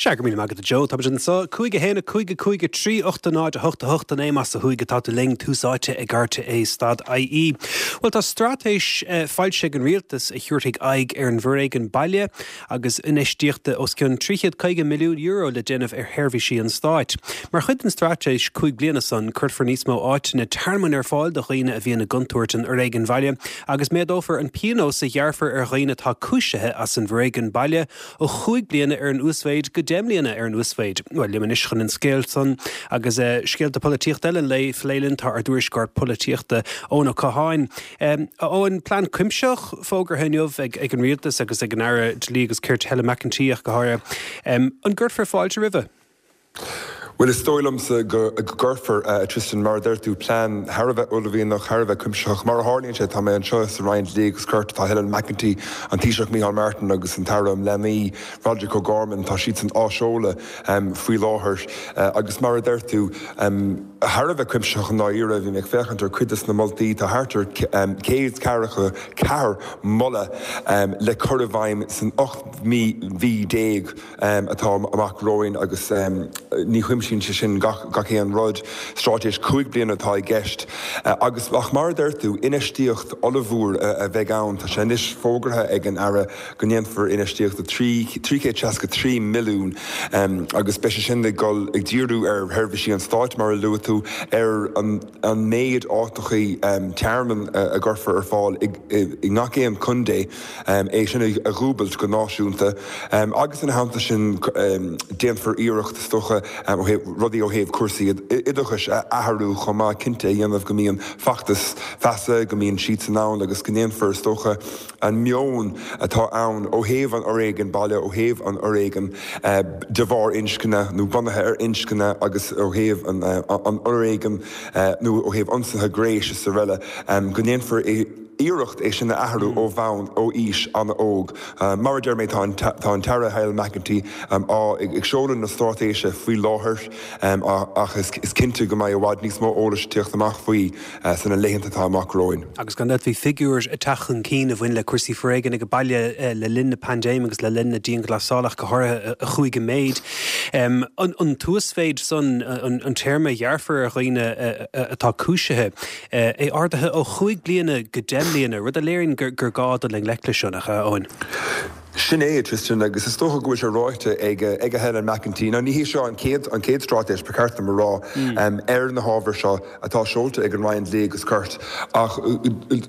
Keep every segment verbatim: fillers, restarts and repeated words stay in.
Sea, go raibh míle maith agat, a Joe. Táimid anseo, cúig a haon, a cúig, a cúig, a trí, ocht, a náid, a hocht, a hocht, a naoi, más ó thuaidh atá tú linn, tús áite ag R T É stad I E. Bhuel, tá straitéis foilsithe ag an rialtas a thabharfaidh aghaidh ar an bhforéigean baile agus infheistíocht os cionn trí chéad caoga milliún euro le déanamh ar sheirbhísí an stáit. Mar chuid den straitéis cúig bliana san, cuirfear níos mó áiteanna tearmainn ar fáil do dhaoine a bhíonn i gcontúirt an fhoréigin bhaile agus méadófar an pionós a ghearrfar ar dhaoine atá cúisithe as an bhforéigean baile ó chúig bliana ar an uasmhéid go deich mbliana ar an uasmhéid. Well, liom anois chun an scéal san agus uh, scéalta polaitíochta eile le plé linn tá ár dtuairisceoir polaitíochta, Eoin Ó Catháin. Um, Eoin, plean cuimsitheach fógartha inniu ag, ag an rialtas agus ag an Aire Dlí agus Cirt Helen McEntee go háirithe. Um, an gcuirfear fáilte roimhe? Well, is dóigh liomsa go gcuirfear, uh, Tristan. Mar deir tú, plean thar a bheith uaillmhianach, thar a bheith cuimsitheach. Mar a tharlaíonn sé, tá mé anseo sa Roinn Dlí agus Cirt. Tá Helen McEntee, an Taoiseach Micheál Martin agus an tAire um Leanaí Roderic O'Gorman, tá siad san á seoladh um, faoi láthair uh, agus mar a deir tú, um, thar a bheith cuimsitheach an náíre. Bhí ag féachaint ar cuid de na moltaí, tá thart ar um, céad ceathracha ceathair moladh um, le cur i bhfeidhm san ocht mí mhí déag um, atá amach romhainn agus um, ní chuimsíonn sé sin gach, gach aon rud. Straitéis cúig bliana atá i gceist uh, agus ach mar deir tú, infheistíocht ollmhór uh, a bheidh ann. Tá sé anois fógartha ag an Aire go ndéanfar infheistíocht trí seasca trí milliún um, agus beidh sé sin ag dul ag díriú ar sheirbhísí an stáit, mar a luaigh tú, ar an, an méid áiteacha um, tearmainn uh, a gcuirfear ar fáil i ngach aon chontae, um, é sin a dhúbailt go náisiúnta um, agus ina theannta sin um, déanfar iarracht, is dócha, um, rudaí ó thaobh cúrsaí oideachais a athrú chomh maith, cinnte a dhéanamh go mbíonn feachtas feasa, go mbíonn siad san ann agus go ndéanfar, is dócha, an meon atá ann ó thaobh an fhoréigin baile, ó thaobh an fhoréigin uh, de bharr inscne nó bunaithe ar inscne agus ó thaobh an, uh, an fhoréigin uh, nó ó thaobh ionsaithe gnéis is araile, um, go ndéanfar iarracht é sin a athrú ó bhonn ó aois an-óg. Uh, mar a deir mé, tá an tAire Helen McEntee um, á ag seoladh na straitéise faoi láthair um, ach is, is cinnte go mbeidh i bhfad níos mó eolais teacht amach faoi uh, sna laethanta atá amach romhainn. Agus gan bhí figiúir ag teacht chun cinn a bhain le cúrsaí foréigin ag baile uh, le linn na paindéime agus le linn na dianghlasála go háirithe a chuaigh i méid. Um, an, an t-uasmhéid san, an, an téarma a ghearrfar ar dhaoine atá cúisithe é ardaithe ó chúig bliana go deich mbliana, rud a léiríonn gur, gur gá dul i ngleic leis seo, nach ea, Eoin. Sin é, Tristan, agus is dócha go bhfuil sé ráite ag ag Helen McEntee. Ná ní hé seo an chéad an chéad straitéis, ba cheart dom a rá, mm. um, ar na hábhair seo atá seolta ag an Roinn Dlí agus Cirt, ach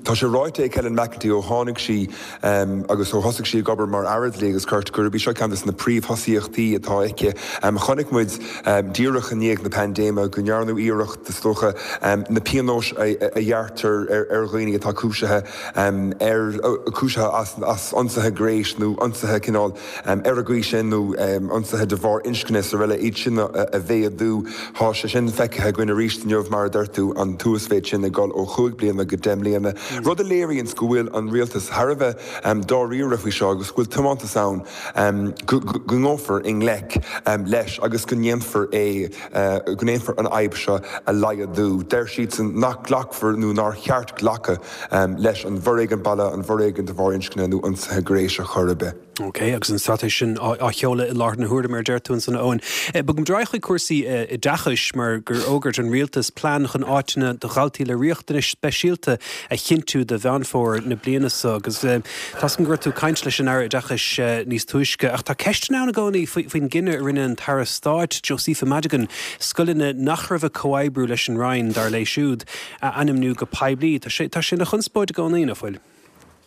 tá sé ráite ag Helen McEntee ó tháinig sí um, agus ó thosaigh sí ag obair mar Aire Dlí agus Cirt gurb í seo ceann de na príomhthosaíochtaí atá aici. Um, chonaic muid um, díreach i ndiaidh na paindéime go ndearnadh iarracht, is dócha, um, na pionóis a, a ghearrtar ar, ar dhaoine atá cúisithe um, ar cúisithe as, as ionsaithe gnéis nó ionsaithe cineál um, ar a gcuí sin nó um, ionsaithe de bharr inscne is araile, iad sin a, a mhéadú. Tá sé sin feicthe againn arís inniu, mar a deir tú, an t-uasmhéid sin ag dul ó chúig bliana go deich mbliana. Mm. Rud a léiríonn go bhfuil an rialtas thar a bheith um, dáiríre faoi seo agus go bhfuil tiomantas ann um, go ngabhfar i ngleic um, leis agus go ndéanfar é uh, go ndéanfar an fhadhb seo a laghdú. Deir siad san nach nglacfar nó nár cheart glacadh um, leis an bhforéigean baile, an bhforéigean de bharr inscne nó ionsaithe gnéis ar chor ar bith. Ok, agus an straitéis sin á sheoladh i láthair na huaire, mar deir tú ansan, Eoin. Bogfaidh muid chuig cúrsaí oideachais, mar gur fhógair an rialtas plean chun áiteanna do dhaltaí le riachtanais speisialta a chinntiú do Mheán Fómhair na bliana seo, agus tá gur tú caint leis an Aire Oideachais níos túisce, ach tá ceist ann i gcónaí faoin gcinneadh a rinne an tAire Stáit Josepha Madigan scoileanna nach raibh ag comhoibriú leis an Roinn, dar léi siúd, a ainmniú go poiblí. Tá sé tá sé ina chonspóid i gcónaí, nach bhfuil?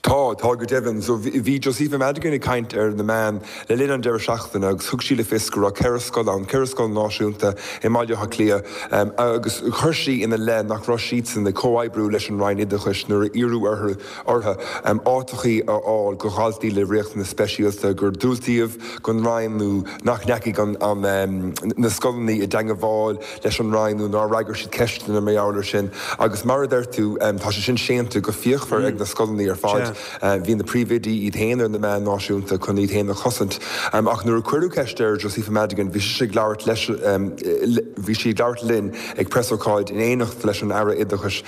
Tá tá go deimhin. So bhí Josepha Madigan ag caint ar na meáin le linn an deireadh seachtaine agus thug sí le fios go raibh ceithre scoil ann, ceithre scoil náisiúnta i mBaile Átha Cliath, um, agus chuir sí ina leith nach raibh siadsan ag comhoibriú leis an Roinn Oideachais nuair a iarradh orthu um, áiteacha a fháil do dhaltaí le riachtanais speisialta, gur diúltaíodh don Roinn nó nach ndeachaigh an, an, um, na scoileanna i dteagmháil leis an Roinn nó nár fhreagair siad ceisteanna mar gheall air sin. Agus mar a deir tú, um, tá sé sin séanta go fíochmhar mm. ag na scoileanna ar fad. fad. Bhí na príomhoidí iad féin ar na meáin náisiúnta chun iad féin a chosaint. Ach nuair a cuireadh ceist ar Josepha Madigan, bhí sí ag labhairt leis, bhí sí ag labhairt linn ag preasócáid in éineacht leis an Aire Oideachais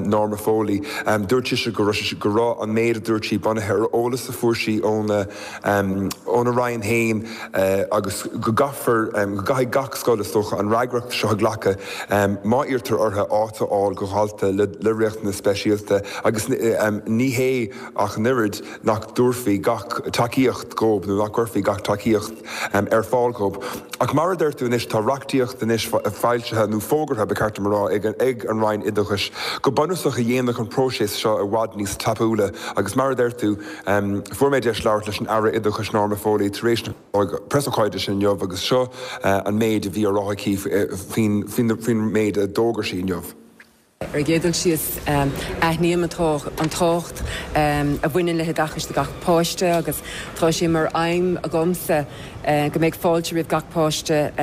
Norma Foley. Dúirt sise go raibh go raibh an méid a dúirt sí bunaithe ar eolas a fuair sí óna óna Roinn féin agus go gcaithfear go gcaithfidh gach scoil is dócha an fhreagracht seo a ghlacadh má iarrtar orthu áit a fháil do dhalta le riachtanas speisialta agus ní hé ach an oiread nach dtabharfaí gach tacaíocht dóibh nó nach gcuirfí gach tacaíocht ar fáil dóibh. Ach mar a deir tú anois tá reachtaíocht anois foilsithe nó fógartha ba cheart dom a rá ag ag an Roinn Oideachais go bunúsach a dhéanfadh an próiseas seo i bhfad níos tapúla agus mar a deir tú fuair mé deis labhairt leis an Aire Oideachais Norma Foley tar éis na preasócáide sin inniu agus seo an méid a bhí á rá aici faoin faoin méid a d'fhógair sí inniu. Ar an gcéad dul síos, aithním an tábhacht a bhaineann le hoideachas do gach páiste agus tá sé mar aidhm agamsa go mbeidh fáilte roimh gach páiste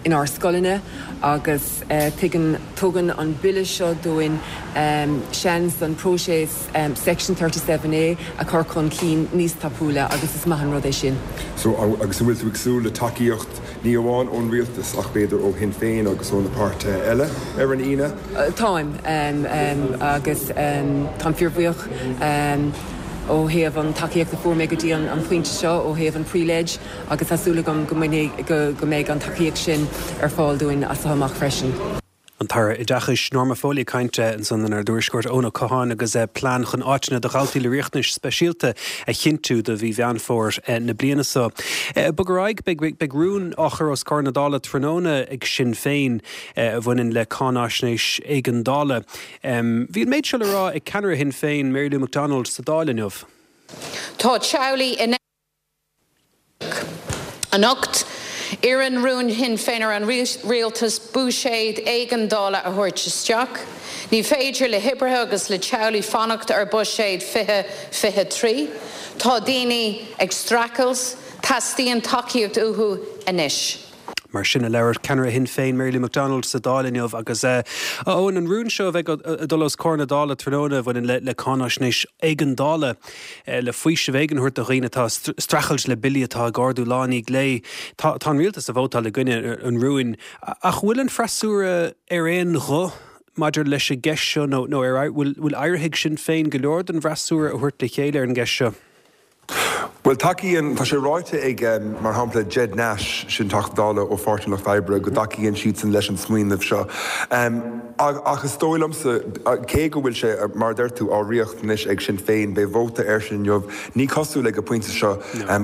inár scoileanna agus tuigeann, tugann an Bille seo dúinn seans an próiseas Section thirty seven A a chur chun cinn níos tapúla agus is maith an rud é sin. So, agus an bhfuil tú ag súil le tacaíocht ní amháin ón rialtas ach b'fhéidir ó Shinn Féin agus ó na páirtithe eile ar an Aoine? Táim, agus táim fíorbhuíoch ó thaobh an tacaíocht a fuair mé go dtí an pointe seo ó thaobh an pre-leg agus tá súil agam go mbeidh an tacaíocht sin ar fáil dúinn as seo amach freisin. An tAire Oideachais, Norma Foley ag caint ansan lenár dtuairisceoir Eoin Ó Catháin agus plean chun áiteanna do dhaltaí le riachtanais speisialta a chinntiú do mhí Mheán Fómhair na bliana seo. Bog ar aghaidh, beidh rún á chur os comhair na Dála tráthnóna ag Sinn Féin a bhaineann le cáináisnéis éigeandála. Bhí an méid seo le rá ag ceannaire Shinn Féin, Mary Lou McDonald sa Dáil inniu. Tá teaghlaigh in Anocht, iarrann rún Shinn Féin ar an rialtas buiséad éigeandála a thabhairt isteach. Ní féidir le hoibrithe agus le teaghlaigh fanacht ar buiséad fiche fiche trí. Tá daoine ag streachailt, teastaíonn tacaíocht uathu anois. Mar sin a labhair ceannaire Shinn Féin, Mary Lou McDonald sa Dáil inniu agus a Eoin, an rún seo a bheidh ag dul os comhair na Dála tráthnóna a bhaineann le cáináisnéis éigeandála le faoiseamh éigin a thabhairt do dhaoine atá ag streachailt le billí atá ag ardú lá i ndiaidh lae. Tá an rialtas ag vótáil i gcoinne an rúin. Ach bhfuil an freasúra ar aon ghuth maidir leis an gceist seo nó nó ar bhfuil éirithe ag Sinn Féin go leor den bhfreasúra a thabhairt le chéile ar an gceist seo? Bhuel, tacaíonn, tá sé ráite ag, mar shampla, Ged Nash, sin Teachta Dála ó Pháirtí an Lucht Oibre, go dtacaíonn siadsan leis an smaoineamh seo. Ach is dóigh liomsa, cé go bhfuil sé, mar a deir tú, á reacht anois ag Sinn Féin, beidh vóta air sin inniu, ní cosúil ag an bpointe seo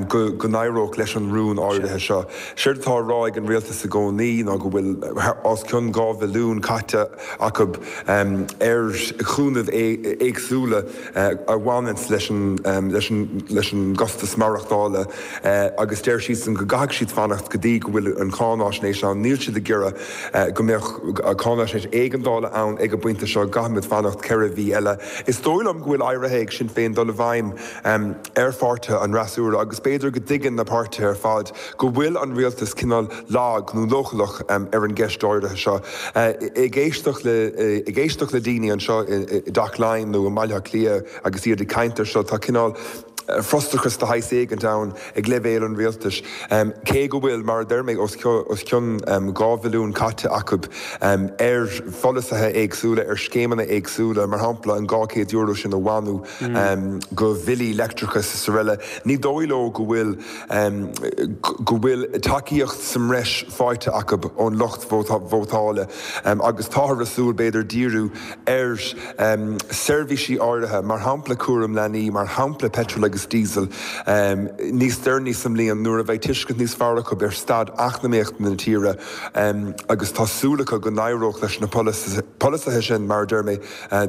go go n-éireodh leis an rún áirithe seo. Séard atá á rá ag an rialtas i gcónaí ná go bhfuil os cionn dhá bhilliún caite acu ar chúnamh éagsúla a bhaineanns leis an leis an leis an gcostas maireachtála agus deir siadsan go gcaithfidh siad fanacht go dtí go bhfuil an cháináisnéis ann. Níl siad ag iarraidh go mbeadh cáináisnéis éigeandála ann ag an bpointe seo, caithfimid fanacht ceithre mhí eile. Is dóigh liom go bhfuil éirithe ag Sinn Féin dul i bhfeidhm ar pháirtithe an fhreasúra agus b'fhéidir go dtuigeann na páirtithe ar fad go bhfuil an rialtas cineál lag nó leochaileach ar an gceist áirithe seo. Ag éisteacht le ag éisteacht le daoine anseo i dTeach Laighean nó i mBaile Átha Cliath agus iad ag caint air seo, tá cineál frustrachas de shaghas éigint ann ag leibhéal an rialtais, cé go bhfuil, mar a deir mé, os cionn dhá bhilliún caite acu ar pholasaithe éagsúla, ar scéimeanna éagsúla, mar shampla an dhá chéad euro sin a mhodhnú do bhillí leictreachais is araile. Ní dóigh leo go bhfuil go bhfuil tacaíocht sa mbreis faighte acu ón lucht vótála agus táthar ag súil, b'fhéidir, díriú ar seirbhísí áirithe, mar shampla cúram leanaí, mar shampla peitreal agus diesel, níos deireanaí sa mbliain nuair a bheidh tuiscint níos fearr acu ar staid eacnamaíochta na tíre agus tá súil acu go n-éireodh leis na polasaithe sin, mar a deir mé,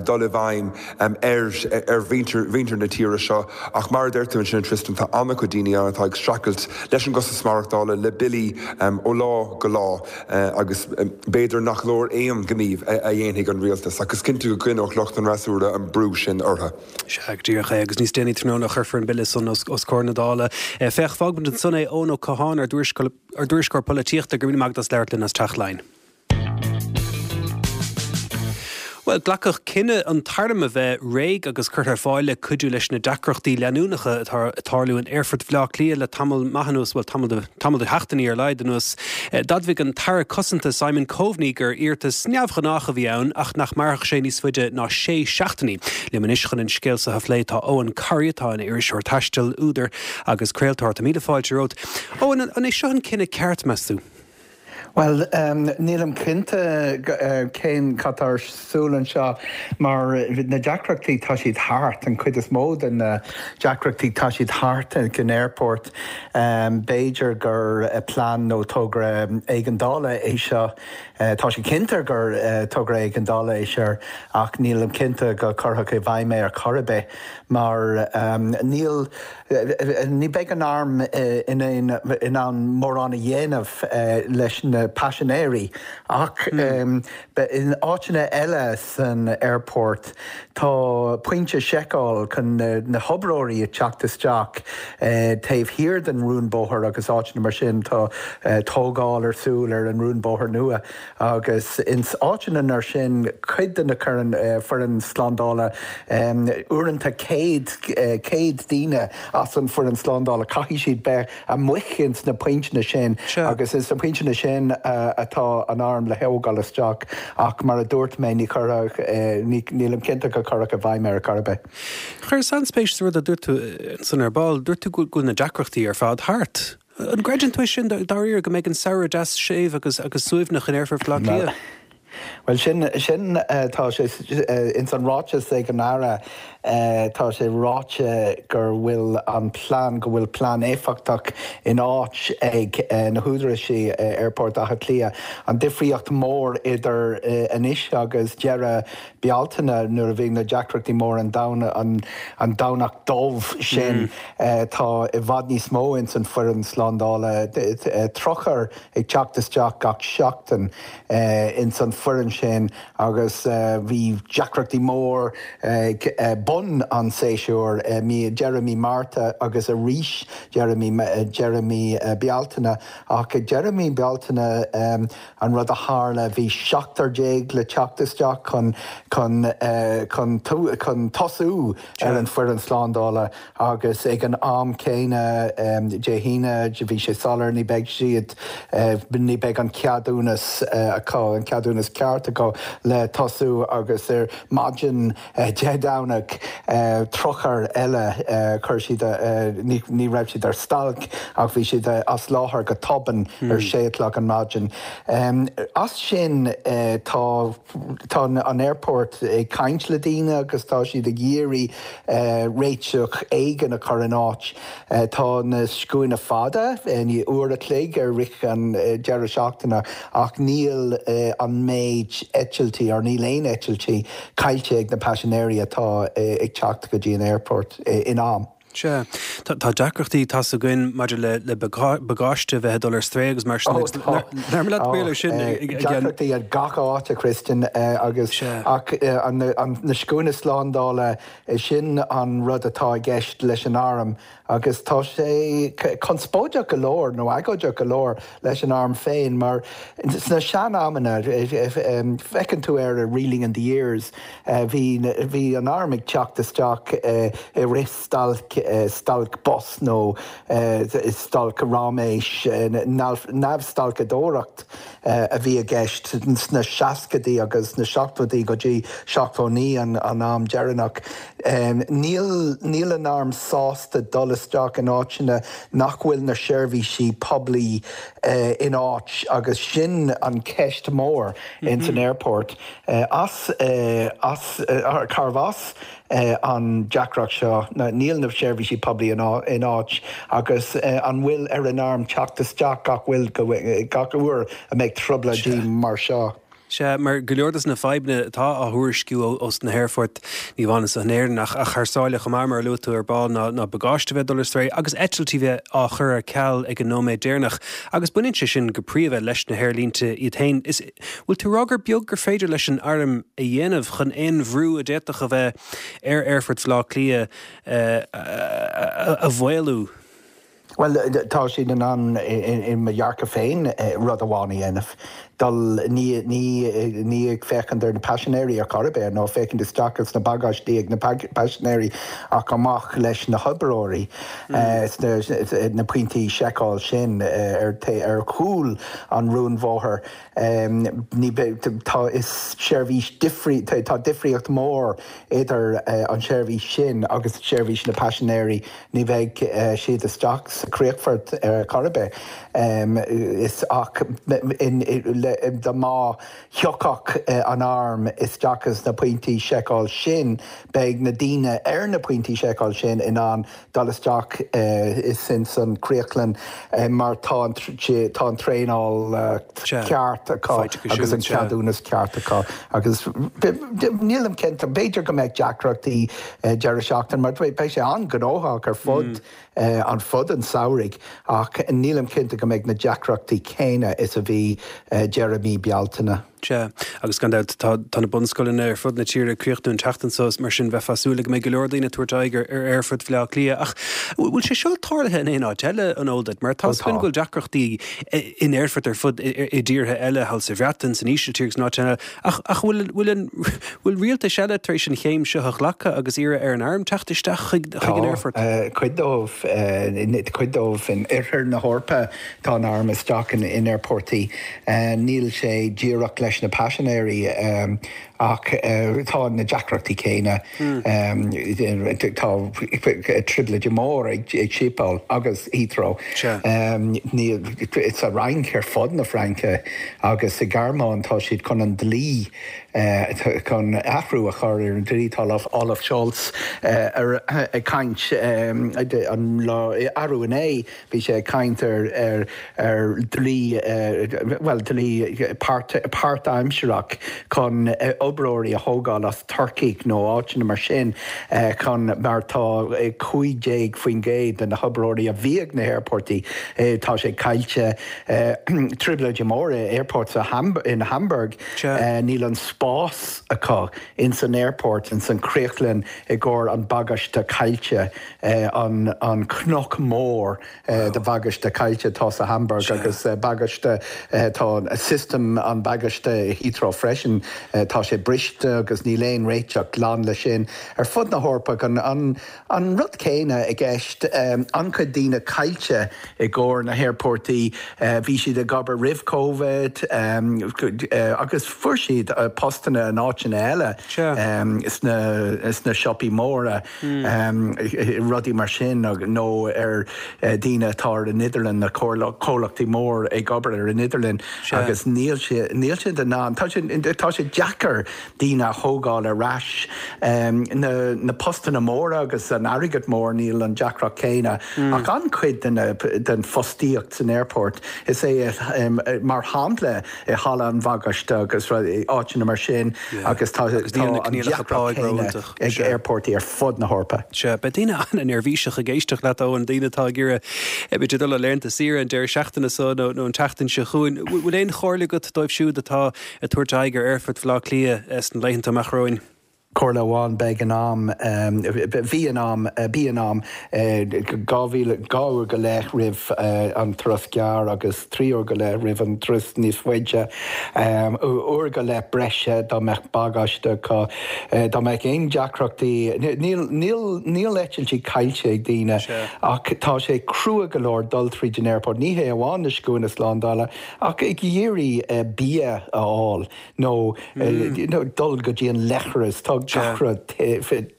dul i bhfeidhm ar ar mhuintir na tíre seo. Ach mar a deir tú ansin, Tristan, tá an-chuid daoine ann atá ag streachailt leis an gcostas maireachtála, le billí ó lá go lá agus b'fhéidir nach leor aon ghníomh a dhéanfaidh an rialtas ach is cinnte go gcoinneodh lucht an fhreasúra an brú sin orthu. Sea, go díreach é, agus níos déanaí tráthnóna chuirfear an bille san os comhair na Dála. Féach, fágfaimid ansan é, Eoin Ó Catháin, ár dtuairisceoir polaitíochta, go raibh míle maith agat as labhairt linn as Teach Laighean. Bhuel, glacadh cinneadh an t-arm a bheith réidh agus curtha ar fáil le cuidiú leis na deacrachtaí leanúnacha atá ag tarlú in Aerfort Bhaile Átha Cliath le tamall maith anuas, bhuel, tamall de, tamall de sheachtainí ar a laghad anuas. D'admhaigh an tAire Cosanta Simon Coveney gur iarratas neamhghnách a bhí ann ach nach mairfeadh sé níos faide ná sé seachtainí. Liom anois chun an scéal seo a phlé tá Eoghan Corry atá ina iriseoir taistil, údar agus craoltóir. Tá míle fáilte romhat. Eoghan, an é seo an cinneadh ceart, meas tú? Bhuel, nílim cinnte cén cad tá ar siúl anseo mar na deacrachtaí tá siad thart, an chuid is mó de na deacrachtaí tá siad thart ag an airport. B'fhéidir gur plean nó togra éigeandála é seo. Tá sé cinnte gur togra éigeandála é seo ach nílim cinnte go gcuirfeadh i bhfeidhm é ar chor ar bith mar níl ní beidh an arm in in ann mórán a dhéanamh leis na paisinéirí ach in áiteanna eile san airport tá pointe seiceáil chun na hoibreoirí a teacht isteach taobh thiar den rúnbóthar agus áiteanna mar sin tá tógáil ar siúl ar an rúnbóthar nua agus ins áiteanna mar sin cuid de na foireann slándála uaireanta céad céad daoine as an foireann slándála caithfidh siad bheith amuigh ins na pointeanna sin agus ins na pointeanna sin atá an arm le thógáil isteach ach mar a dúirt mé ní chuirfeadh nílim cinnte go gcuirfeadh i bhfeidhm ar chor ar bith. Chuireas an-spéis sa rud a dúirt tú san ar ball, dúirt tú go bhfuil na deacrachtaí ar fad thart. An gcreideann tú sin dáiríre go mbeidh an samhradh deas séimh agus agus suaimhneach in Aerfort Bhaile Átha Cliath? Well sin sin tá sé ins an ráiteas ag an Aire tá sé ráite gur bhfuil an plean go bhfuil plean éifeachtach in áit ag na húdaráis Aerfort Átha Cliath. An difríocht mór idir anois agus deireadh Bealtaine nuair a bhí na deacrachtaí mór an an an Domhnach dubh sin tá i bhfad níos mó ins an foireann slándála tríocha ag teacht isteach gach seachtain ins an foireann sin agus bhí deacrachtaí mór ag bun an séasúir mí deireadh mí Márta agus arís deireadh mí deireadh mí Bealtaine ach deireadh mí Bealtaine an rud a tharla bhí seachtar déag le teacht isteach chun chun chun chun tosú ar an foireann slándála agus ag an am céanna Dé hAoine bhí sé soiléir ní beidh siad ní beidh an ceadúnas acu an ceadúnas ceart acu le tosú agus ar maidin Dé Domhnaigh tríocha eile chuir siad ní raibh siad ar stailc ach bhí siad as láthair go tobann ar sé o'clock an maidin. As sin tá tá an airport ag caint le daoine agus tá siad ag iarraidh réiteach éigin a chur in áit. Tá na scuaine fada ní uair a chloig ar rith an deireadh seachtaine ach níl an méid eitiltí ar níl aon eitiltí caillte ag na paisinéirí atá ag teacht go dtí an airport in am. Sea, tá deacrachtaí tá againn maidir le le bagáiste bheith dul ar strae agus mar sin sin deacrachtaí ag gach áit a Christian agus ach na scuaine slándála sin an rud atá i gceist leis an arm agus tá sé conspóideach go leor nó agóideach go leor leis an arm féin mar sna sean-amanna feiceann tú ar a Reeling in the Years bhí bhí an arm ag teacht isteach i rith stailc stailc bus nó stailc ráiméis neamhstalcadóireacht a bhí i gceist sna seascaidí agus na seachtóidí go dtí seachtó naoi an an am deireanach. Níl níl an arm sásta dul isteach in áiteanna nach bhfuil na seirbhísí poiblí in áit agus sin an ceist mór in san airport. As as carbh as an deacracht seo níl na seirbhísí poiblí in áit agus an bhfuil ar an arm teacht isteach gach bhfuil gach uair a mbeidh trioblóidí mar seo. Sea, mar go leor des na fadhbanna atá á thuairisciú ós na haerfoirt ní amháin in Éirinn ach ach thar sáile chomh maith mar a luaigh tú ar ball ná ná bagáiste bheith dul ar strae agus eitiltí bheith á chur ar ceal ag an nóiméad deireanach agus baineann sé sin go príomha leis na haerlínte iad féin. Is bhfuil tú rá gur beag gur féidir leis an arm a dhéanamh chun aon bhrú a d'fhéadfadh a bheith ar Aerfort Bhaile Átha Cliath a mhaolú. Well tá siad in ann i mo dhearcadh féin rud amháin a dhéanamh. dul ní ní ní ag féachaint ar na paisinéirí ar chor ar bith nó féachaint isteach sna bagáistí ag na paisinéirí ach amach leis na hoibreoirí mm. na pointí seiceáil sin ar ar chúl an rúnbhóthair ní tá is seirbhís difrí tá difríocht mór idir an seirbhís sin agus seirbhís na paisinéirí ní bheidh siad isteach sa críochfort ar chor ar bith is ach dá má thiocfadh an arm isteach sna pointí seiceáil sin beidh na daoine ar na pointí seiceáil sin in ann dul isteach is in san críochlann mar tá tá an traenáil ceart acu agus an ceadúnas ceart acu agus nílim cinnte b'fhéidir go mbeidh deacrachtaí deireadh seachtain mar beidh sé an-ghnóthach ar fud an fud an samhraidh ach nílim cinnte go mbeidh na deacrachtaí céanna is a bhí deireadh mí Bealtaine. Sea, agus gan dabht tá tá na bunscoileanna ar fud na tíre ag críochnú an tseachtain seo mar sin bheifeá ag súil go mbeidh go leor daoine ag tabhairt aghaidh ar ar aerfort Bhaile Átha Cliath. Ach bhfuil sé seo tarlaithe in aon áit eile an eol duit? Mar tá a fhios againn go bhfuil deacrachtaí in aerfoirt ar fud i dtíortha eile thall sa Bhreatain, san Ísiltír agus in áiteanna eile. Ach ach bhfuil bhfuil an bhfuil rialtais eile tar éis an chéim seo a ghlacadh agus iarraidh ar an arm teacht isteach chuig chuig an aerfort? Tá cuid dóibh cuid dóibh in oirthear na hEorpa tá an arm isteach in in aerportaí. Níl sé díreach leis na paisinéirí ach tá na deacrachtaí céanna. Tá trioblóid mór ag ag Schiphol agus Heathrow. Sa Fhrainc ar fud na Fraince agus sa Ghearmáin tá siad chun an dlí chun athrú a chur ar an dlí tá Olaf Scholz ar ag caint an lá arú inné bhí sé ag caint ar ar ar dlí well dlí páirtaimsearach chun oibreoirí a thógáil as Turcaigh nó áiteanna mar sin chun mar tá cúig déag faoin gcéad de na hoibreoirí a bhí ag na haerportaí tá sé caillte trioblóidí móra airport sa in Hamburg níl an spás acu in san airport in san críochlann i gcomhair an bagáiste caillte an an cnoc mór de bhagáiste caillte tá sa Hamburg agus bagáiste tá system an bagáiste Heathrow freisin tá sé briste agus níl aon réiteach glan le sin ar fud na hEorpa an an an rud céanna i gceist an-chuid daoine caillte i gcomhair na haerportaí bhí siad ag obair roimh Covid agus fuair siad postanna in áiteanna eile sna sna siopaí móra rudaí mar sin nó ar daoine atá ar an idirlíon na comhlachtaí mór ag obair ar an idirlíon agus níl sé níl siad in ann tá sé tá sé deacair daoine a thógáil ar ais na na postanna móra agus an airgead mór níl an deacracht céanna ach an-chuid den den fostaíocht san airport is é mar shampla i halla an bhagáiste agus áiteanna mar sin agus tá an deacracht céanna ag airportaí ar fud na hEorpa. Sea, beidh daoine an-neirbhíseach ag éisteacht leat Eoin, daoine atá ag iarraidh b'fhéidir dul ar laethanta saoire an deireadh seachtaine seo nó nó an tseachtain seo chugainn. Bhfuil aon chomhairle agat dóibh siúd atá ag tabhairt aghaidh ar aerfort Bhaile Átha Cliath sna laethanta amach romhainn? Comhairle amháin beidh in am bhí in am bí in am dhá mhíle dhá uair go leith roimh an turas gearr agus trí uair go leith roimh an turas níos faide. Uair go leith breise dá mbeadh bagáiste acu dá mbeadh aon deacrachtaí níl níl níl eitiltí caillte ag daoine ach tá sé crua go leor dul tríd an airport. Ní hé amháin na scuainí slándála ach ag iarraidh bia a fháil nó dul go dtí an leithreas tá gach rud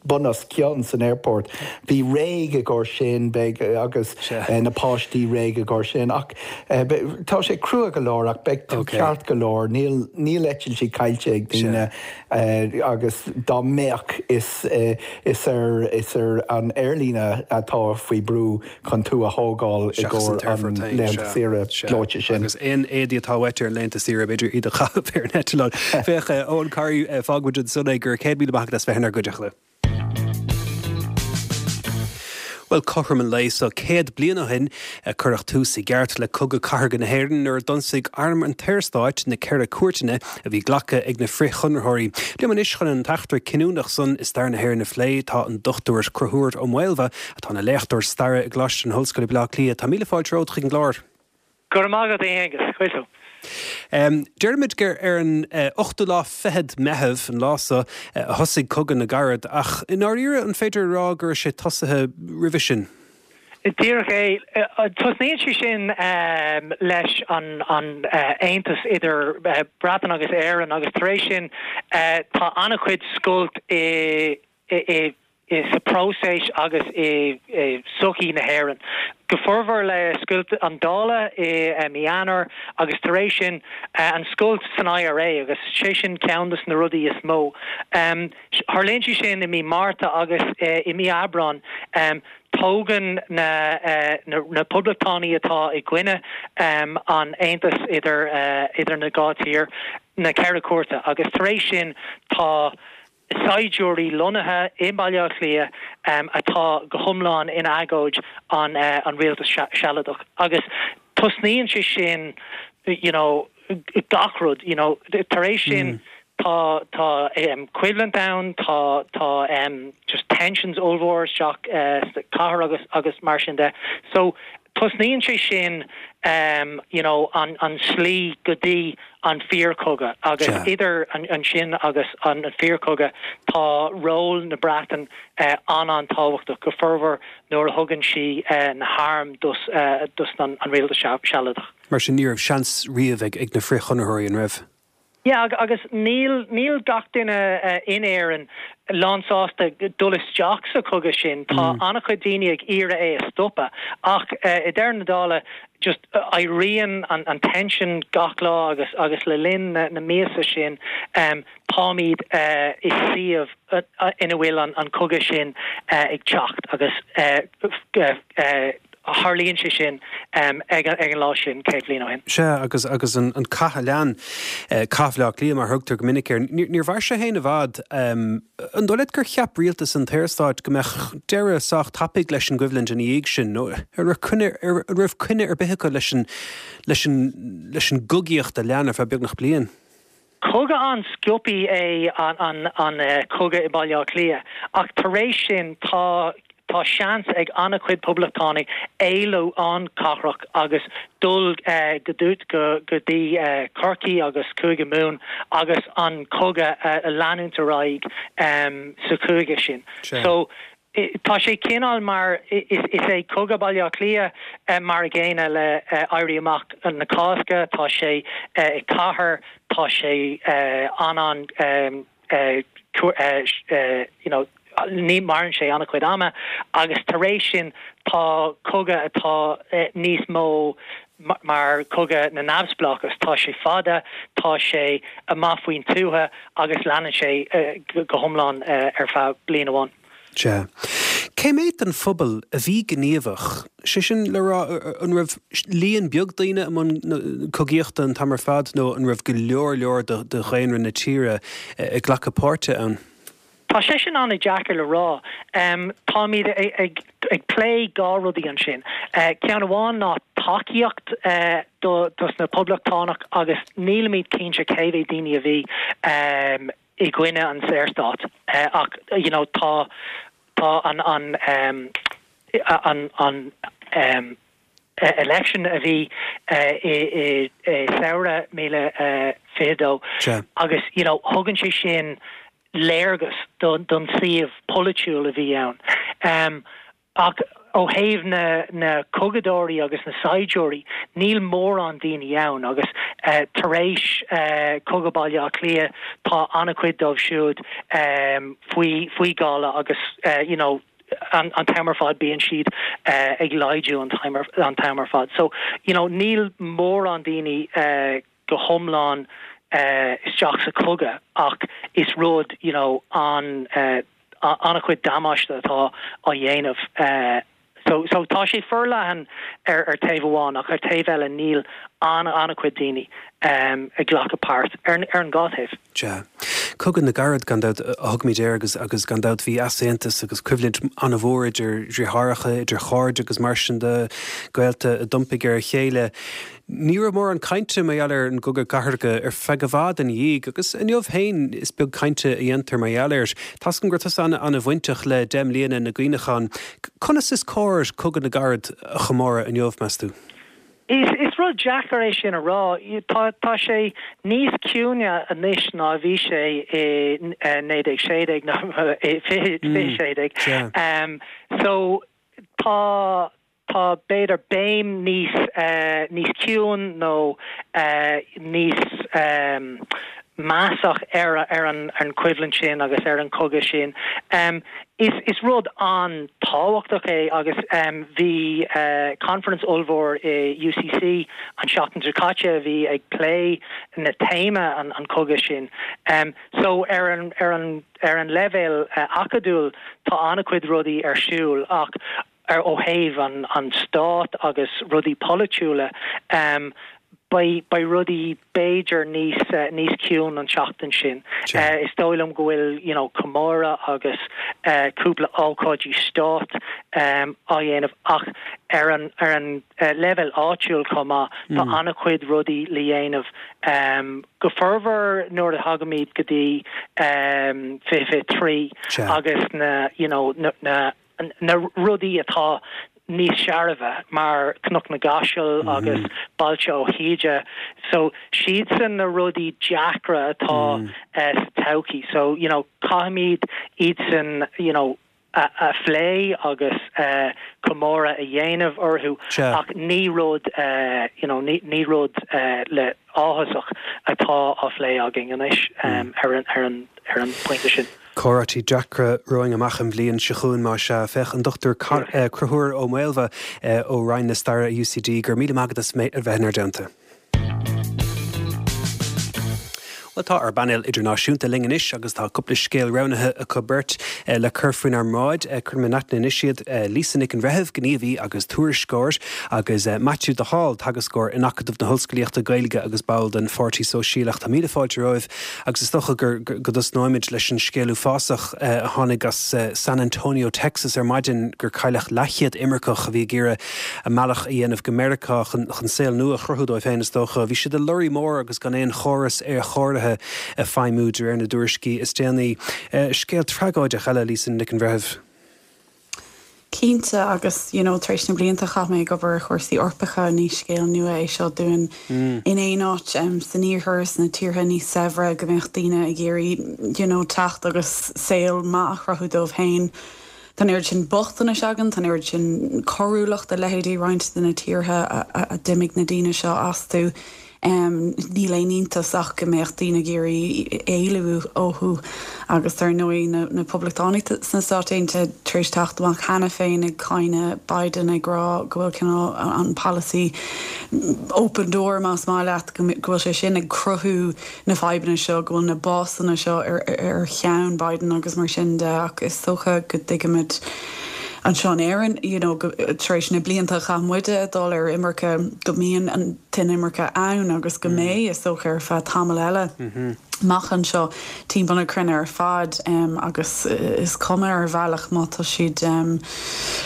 bun os cionn san airport. Bí réidh i gcomhair sin beidh agus na páistí réidh i gcomhair sin ach tá sé crua go leor ach beidh tú ceart go leor níl níl eitiltí caillte ag daoine agus dá mbeadh is is ar is ar an aerlíne atá faoi brú chun tú a thógáil i gcomhair an laethanta saoire gleoite sin. Agus aon éadaí atá uait ar laethanta saoire b'fhéidir iad a chaitheamh ar an eitleán. Féach Eoin Corry fágfaidh muid ansan é go raibh céad míle maith agat as bheith inár gcuideachta. Bhuel, cothrom an lae seo céad bliain ó shin a cuireadh tús i gceart le Cogadh Cathartha na hÉireann nuair a d'ionsaigh Arm an tSaorstáit na Ceithre Cúirteanna a bhí glactha ag na frith-Chonraitheoirí. Liom anois chun an t-eachtra cinniúnach san i stair na hÉireann a phlé tá an Dochtúir Conchúr Ó Maolmhaidh atá ina léachtóir staire i gColáiste na hOllscoile Baile Átha Cliath. Tá míle fáilte romhat chuig an gclár. Go raibh maith agat, a Aonghus. Cois. Deirimid gur ar an ochtú lá fichead Meitheamh an lá so a thosaigh Cogadh na gCarad, ach i ndáiríre an féidir a rá go raibh sé tosaithe roimhe sin? Díreach é. Tosnaíonn sé sin leis an aontas idir Breatain agus Éirinn agus tar éis sin tá an-chuid scoilt i sa próiseas agus i sochaí na hÉireann. Go formhór le scoilt an Dála i mí Eanáir agus tar éis sin an scoilt san I R A agus sé sin ceann de na rudaí is mó. Tharlaíonn sé sin i mí Márta agus i mí Aibreán tógann na, na, na poblachtánaigh atá i gcoinne um, an aontas idir, uh, idir na dhá tír na ceithre cúirte agus tar éis sin tá saighdiúirí lonnaithe i mBaile Átha Cliath um, atá go hiomlán in agóid an, uh, an rialtas sealadach. Agus tosnaíonn sé sin you know, gach rud you know, tar éis sin mm. tá tá um, coimhlint ann tá tá um, just tensions ollmhór isteach uh, cathair agus agus mar sin de. So tosnaíonn sé sin um, you know, an, an slí go dtí an fíorchogadh agus yeah. idir an, an sin agus an, an fíorchogadh tá ról na Breataine uh, an an-tábhachtach go formhór nuair a thugann sí uh, na hairm dos, uh, dos an, an rialtas sealadach. Mar sin ní raibh seans riamh ag, ag na frithchonraitheoirí an raibh. Ja, agus níl níl gach duine uh, in Éirinn lánsásta dul isteach sa chogadh sin tá mm. an-chuid daoine ag iarraidh é a stopadh ach uh, i ndeireadh na dála just uh, éiríonn an, an tension gach lá agus agus le linn na, na míosa sin um, táimid uh, i suíomh uh, uh, ina bhfuil an, an cogadh sin uh, ag teacht agus uh, uh, uh, tharlaíonn sé sin um, ag, ag an lá sin céad bliain ó shin. Sea agus agus an, an cath a lean eh, Cath Bhaile Átha Cliath mar thugtar go minic air. Níor mhair sé féin i bhfad um, an dóigh leat gur cheap rialtas an tSaorstáit go mbeadh deireadh sách tapaidh leis an gcoimhlint ina dhiaidh sin nó ar raibh coinne ar bith acu leis an leis an leis an gcogaíocht a lean ar feadh beagnach bliain. Cogadh an-sciobtha é an, an, an uh, cogadh i Baile Átha Cliath ach tar éis sin tá tá seans ag an-chuid poblachtánaigh éalú an cathrach agus dul uh, go dút go go dtí uh, Corcaigh agus Cúige Mumhan agus an cogadh uh, a leanúint ar aghaidh um, sa chúige sin. So tá sé cineál mar is, is é cogadh Baile Átha Cliath uh, mar a gcéanna le uh, Éirí Amach na Cásca, tá sé uh, cathair, tá sé uh, an an um, uh, uh, uh, you know, ní maireann sé an-chuid ama agus tar éis sin tá cogadh atá eh, níos mó mar cogadh na neamhspleáchas tá sé fada tá sé amach faoin tuath agus leanann sé uh, go hiomlán uh, ar feadh bliain amháin. Sea. Cé mhéad den phobal a bhí gníomhach, sé sin le rá an raibh líon beag daoine i mbun cogaíochta an t-am ar fad nó an raibh go leor leor de, de dhaonra na tíre ag glacadh páirte ann. Tá sé sin an-deacair le rá. Um, Táimid ag, ag, ag plé dhá rudaí ansin. Uh, Ceann amháin ná tacaíocht uh, do, dos na poblachtánach agus nílimid cinnte cé mhéad daoine a bhí um, i gcoinne an Saorstát. Uh, ach you know, tá tá an an um, an an um, election a bhí uh, i, i, i samhradh míle uh, fiche dó agus you know, thugann sé sin léargas don, don suíomh polaitiúil a bhí ann. Um, ach ó thaobh na, na cogadóirí agus na saighdiúirí níl mórán daoine ann agus uh, tar éis uh, cogadh Baile Átha Cliath tá an-chuid dóibh siúd um, faoi faoi ghála agus uh, you know, an, an t-am ar fad bíonn siad uh, ag laghdú an an t-am ar fad. So you know, níl mórán daoine uh, go hiomlán uh, isteach sa cogadh ach is rud you know, an uh, an-chuid damáiste atá á dhéanamh uh, so so tá sé forleathan ar ar taobh amháin ach ar taobh eile níl an an-chuid daoine um, ag glacadh páirt ar, ar an dhá thaobh. Ja. Cogadh na gCarad gan dabht a thugaimid air agus agus gan dabht bhí easaontas agus coimhlint an-mhór idir dheartháireacha idir chairde agus mar sin de gaolta a d'iompaigh ar a chéile. Ní raibh mórán cainte mar gheall ar an gcogadh cathartha ar feadh i bhfad ina dhiaidh agus inniu féin is beag cainte a dhéantar mar gheall air. Tascan gur tusa an-bhainteach le deich mbliana na gcuimhneachán. Conas is cóir cogadh na gCarad a chomóradh inniu meas tú? Is is rud deacair é sin a rá tá tá sé níos ciúine anois ná bhí sé i naoi déag sé déag nó fiche sé déag. Um, so tá tá b'fhéidir béim níos uh, níos ciúin nó uh, níos um, measach ar ar an an coimhlint sin agus ar an cogadh sin. Um, is is rud an-tábhachtach é agus um, bhí uh, conference ollmhór i UCC an seachtain seo caite bhí ag plé na téama an, an cogadh sin. Um, so ar an ar an ar an leibhéal uh, acadúil tá an-chuid rudaí ar siúl ach ar ó thaobh an an stát agus rudaí polaitiúla um, beidh beidh rudaí b'fhéidir níos uh, níos ciúin an seachtain sin. Uh, is dóigh liom go bhfuil you know, comóradh agus uh, cúpla ócáidí stáit um, á dhéanamh ach ar an ar an uh, leibhéal áitiúil chomh maith mm. tá an-chuid rudaí le dhéanamh um, go formhór nuair a thagaimid go dtí um, fiche trí agus na you know, na, na, na rudaí atá níos searbha mar Cnoc na gCaiseal mm -hmm. agus Bailte Ó hÍde so siadsan na rudaí deacra atá mm. uh, sa todhchaí so you know caithfimid iad san you know a, a phlé agus uh, comóradh a dhéanamh orthu ach ní rud uh, you know ní, ní rud uh, le áthasach atá á phlé againn anois um, ar an ar an ar an pointe sin. Comhráití deacra romhainn amach an bhliain seo chugainn mar sin féach an Dr Conchúr Ó Maolmha ó Roinn na Staire UCD gur míle maith agat as a bheith inár dteannta. Well tá ár bpainéal idirnáisiúnta linn anois agus tá cúpla scéal roghnaithe acu beirt le cur faoinár mbráid cuirfidh mé in aithne anois iad Lisa Nic an Bhreithimh, gníomhaí agus tuairisceoir agus Maitiú de Hál, teagascóir in Acadamh na hOllscolaíochta Gaeilge agus ball den Pháirtí Sóisialach Tá míle fáilte romhaibh agus is dócha gur go dtosnóimid leis an scéal uafásach a tháinig as San Antonio, Texas ar maidin gur cailleadh leathchéad imirceach a bhí ag iarraidh a mbealach a dhéanamh go Meiriceá chun chun saol nua a chruthú dóibh féin is dócha. Bhí siad i lorry mór agus gan aon chóras aerchóirithe ag feidhmiú de réir na dtuairiscí is déanaí. Scéal tragóideach eile Lisa Nic an Bhreithimh. Cinnte agus you know, tar éis na blianta chaith mé ag obair ar chúrsaí Eorpacha ní scéal nua é seo dúinn mm. in aon áit um, san iarthar sna tíortha níos saibhre go mbeadh daoine ag iarraidh you know, teacht agus saol maith a chruthú dóibh féin. Tá an oiread sin bochtanais againn, tá an oiread sin coiriúlacht a leithéidí roinnt de na tíortha a, a, a d'imigh na daoine seo astu. Um, níl aon iontas ach go mbeadh daoine ag iarraidh éalú uathu agus dar ndóigh na, na Poblachtánaigh sna Stáit Aontaithe tar éis teacht amach cheana féin ag cáineadh Biden ag rá go bhfuil cineál an policy open door más maith leat go bhfuil sé sin ag cruthú na fadhbanna seo go bhfuil na básanna seo ar, ar cheann Biden agus mar sin de ach is dócha go dtuigimid anseo in Éirinn you know, tar éis na blianta chaith muide ag dul ar imirce go mbíonn an t-imirce ann agus go mm. mbeidh is dócha ar feadh tamall eile. Mm -hmm. Amach anseo timpeall na cruinne ar fad um, agus is cuma ar bhealach má tá siad um,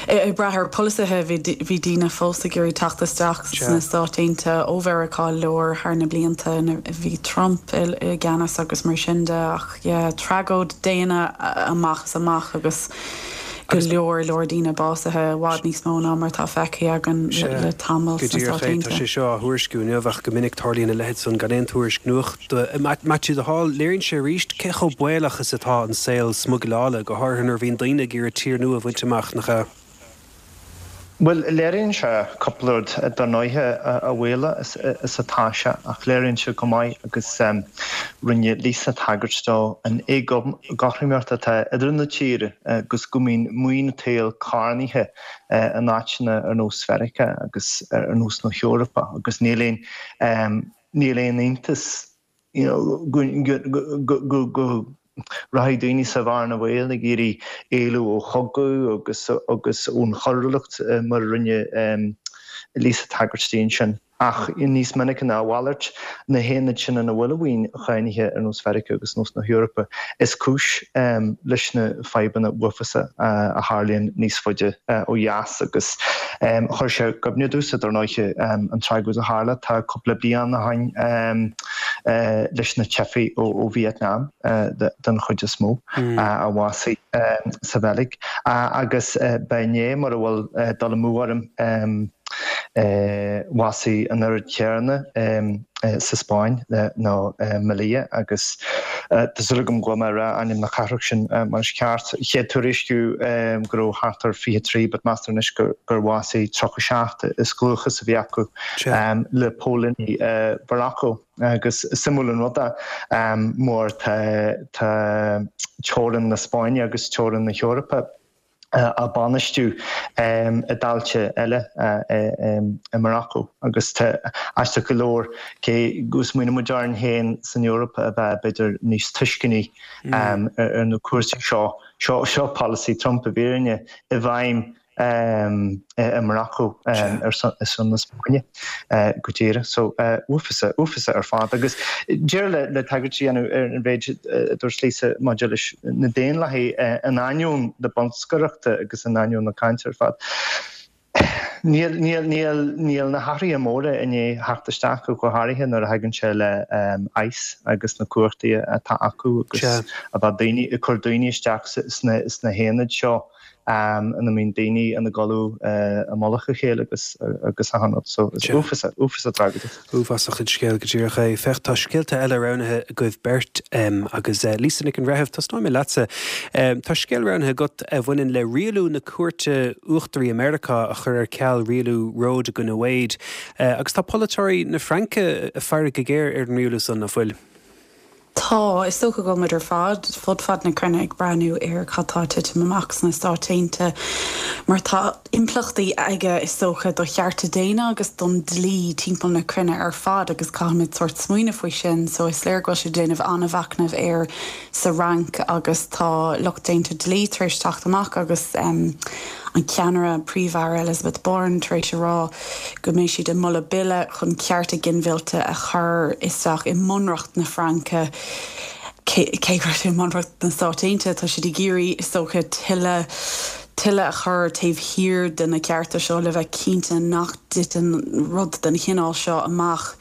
ag brath ar polasaithe bhí daoine fós ag iarraidh teacht isteach sna Stáit Aontaithe ó Mheiriceá Láir thar na blianta bhí Trump i, i gceannas agus mar sin de ach yeah, tragóid daonna amach is amach agus go leor leor daoine básaithe i bhfad níos mó ná mar tá feicthe againn le tamall sna Stáit Aontaithe. Tá sé seo á thuairisciú inniu ach go minic tarlaíonn a leithéid san gan aon tuairisc nuachta. Maitiú de Hál, léiríonn sé arís cé chomh baolach is atá an saol smugairle, go háirithe nuair a bhíonn daoine ag iarraidh tír nua a bhaint amach, nach ea? Bhuel, léiríonn sé cúpla rud dar ndóighe a bhaolaí is atá sé ach léiríonn sé go maith agus rinne Lisa tagairt dó an éagothromaíocht atá idir na tíortha agus go mbíonn maoin an tsaoil carnaithe in áiteanna ar nós Mheiriceá agus ar nós na hEorpa agus níl aon níl aon iontas you know, go go rachaidh daoine sa bhearna bhaoil ag iarraidh éalú ó chogadh agus agus ón choiriúlacht mar a rinne Lisa tagairt di ansin. Ach níos minice ná a mhalairt, na haonaid sin ina bhfuil an mhaoin charnaithe ar nós Mheiriceá agus nós na hEorpa, is cúis leis na fadhbanna uafásacha a tharlaíonn níos faide ó dheas agus chuir sé i gcuimhne domhsa dar ndóighe an tragóid a tharla tá cúpla bliain ó shin leis na teifigh ó Vietnam den chuid is mó a bhásaigh sa Bheilg agus ba inné mura bhfuil dul amú orm Bhásaigh an oiread céanna sa Spáinn nó Melilla agus tá súil agam go bhfuil mé ag rá ainm na cathrach sin mar is ceart. Chéad tuairisciú go raibh thart ar fiche trí but meastar anois gur bhásaigh tríocha seacht is dlúthchas a bhí acu le póilíní Mharacó. Agus is suimiúil an rud é mar tá teorainn na Spáinne agus teorainn na hEorpa á bainistiú i dtailte eile i Maracó agus aisteach go leor cé go smaoiníonn muid orainn féin san Eoraip a bheith b'fhéidir níos tuisceanaí ar na cúrsaí seo, seo polasaí Trump i bhfírinne i bhfeidhm i Maracó ar son na Spáinne go díreach. So uafásach, uafásach ar fad. Agus deireadh le tagairt a dhéanamh ar an mhéid a dúirt Lisa maidir leis na Daonlathaigh in ainneoin na bolscaireachta agus in ainneoin na cainte ar fad. Níl, níl, níl, níl na hathruithe móra i ndiaidh theacht isteach go háirithe nuair a thagann sé le ICE agus na cumhachtaí atá acu agus a bheith daoine, ag cur daoine isteach sna, sna haonaid seo. ina mbíonn daoine ina gcodladh i mullach a chéile agus agus achan rud. So is uafásach, uafásach tragóideach. Uafásach an scéal go díreach é. Féach, tá scéalta eile roghnaithe agaibh beirt agus Lisa Nic an Bhreithimh, tosnóidh mé leatsa. Tá scéal roghnaithe agat a bhaineann le rialú na Cúirte Uachtaraí i Meiriceá a chuir ar ceal rialú Roe i gcoinne Wade. Agus tá polaiteoirí na Fraince ag faire go géar ar an rialú san, nach bhfuil? Tá, is dócha go bhfuil muid ar fad, fud fad na cruinne ag breathnú ar cad tá ag titim amach sna Stáit Aontaithe mar tá impleachtaí aige is dócha do chearta daonna agus don dlí timpeall na cruinne ar fad agus caithfimid sórt smaoineamh faoi sin. So is léir go bhfuil siad ag déanamh an-mhachnaimh air sa Fhrainc agus tá lucht déanta dlí tar éis teacht amach agus um, an ceannaire Príomh-Aire Elisabeth Borne tar éis a rá go mbeidh siad ag moladh bille chun cearta ginmhillte a chur isteach i mbunreacht na Fraince. Cé go raibh sé i mbunreacht na Stát Aontaithe, tá siad ag iarraidh is dócha tuilleadh tuilleadh a chur taobh thiar de na cearta seo le bheith cinnte nach dtiteann rud den chineál seo amach.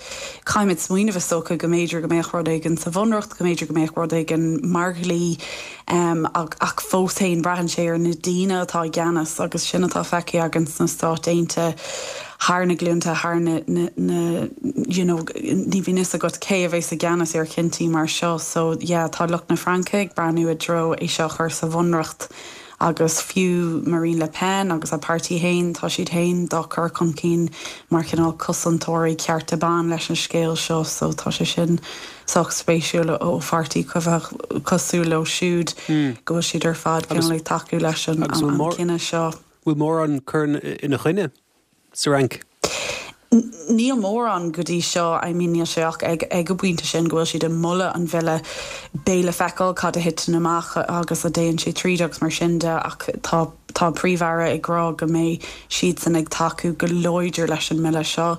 Caithfimid smaoineamh is dócha go mb'fhéidir go mbeadh rud éigin sa bhunreacht, go mb'fhéidir go mbeadh rud éigin mar dhlí um, ach, ach fós féin braitheann sé ar na daoine atá i gceannas agus sin atá feicthe againn sna Stáit Aontaithe thar na glúnta thar na, na, na you know, ní bhíonn a fhios agat cé a bheas i gceannas ar chinntí mar seo so yeah, tá lucht na Fraince ag breathnú i dtreo é seo chur sa bhunreacht agus fiú Marine Le Pen agus a páirtí féin tá siad féin dá cur chun cinn mar chineál cosantóirí cearta ban leis an scéal seo so tá sé sin sách spéisiúil ó pháirtí cosúil leo siúd go bhfuil siad ar fad cineál ag tacú leis an cinneadh seo. Bhfuil mórán cur ina choinne sa Fhrainc? Níl mórán go dtí seo I mean níl sé ach ag ag an bpointe sin go bhfuil siad ag moladh an bhille beidh le feiceáil cad a thiteann amach agus an dtéann sé tríd agus mar sin de ach tá tá príomh-aire ag rá go mbeidh siadsan ag tacú go láidir leis an mbille seo.